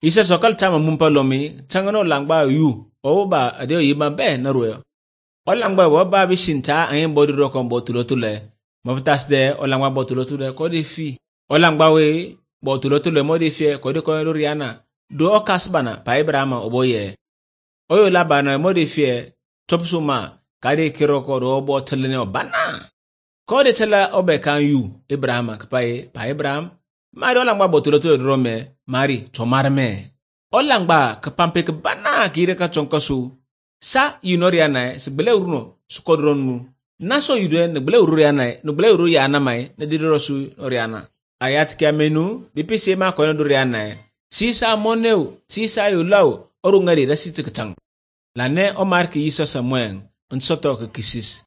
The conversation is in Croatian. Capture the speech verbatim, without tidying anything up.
Isa sokal chama mumpa lomi changano langba yu oba adio yima be na ruyo. Olangba wa ba bishinta ayin bodi rokon botulotule. Mabutas de olangba botulotule kodi fi. Olangba we botulotule modi fi kodi kono riana. Do okasbana pa Ibrahima oboye. Oyo labana modi fi topsuma kadi kiroko do botulene obana. Kodi tela obe kan yu Ibrahima kapaye pa Ibrahim. Mari olangba botulotule rome mari tomarme. Olangba kapampe kabana kire ka chonkosu. Sa yunoriana sebele uruno sukodronu. Naso yudwe negbele ururiana negbele uru yana mai ne dirosu oriana. Ayat kia menu bipisi ma kono duriana. Sisa moneu sisa yulau orungari da sitikatang. Lane omar ki Isa Samuel unsoto ke kisis.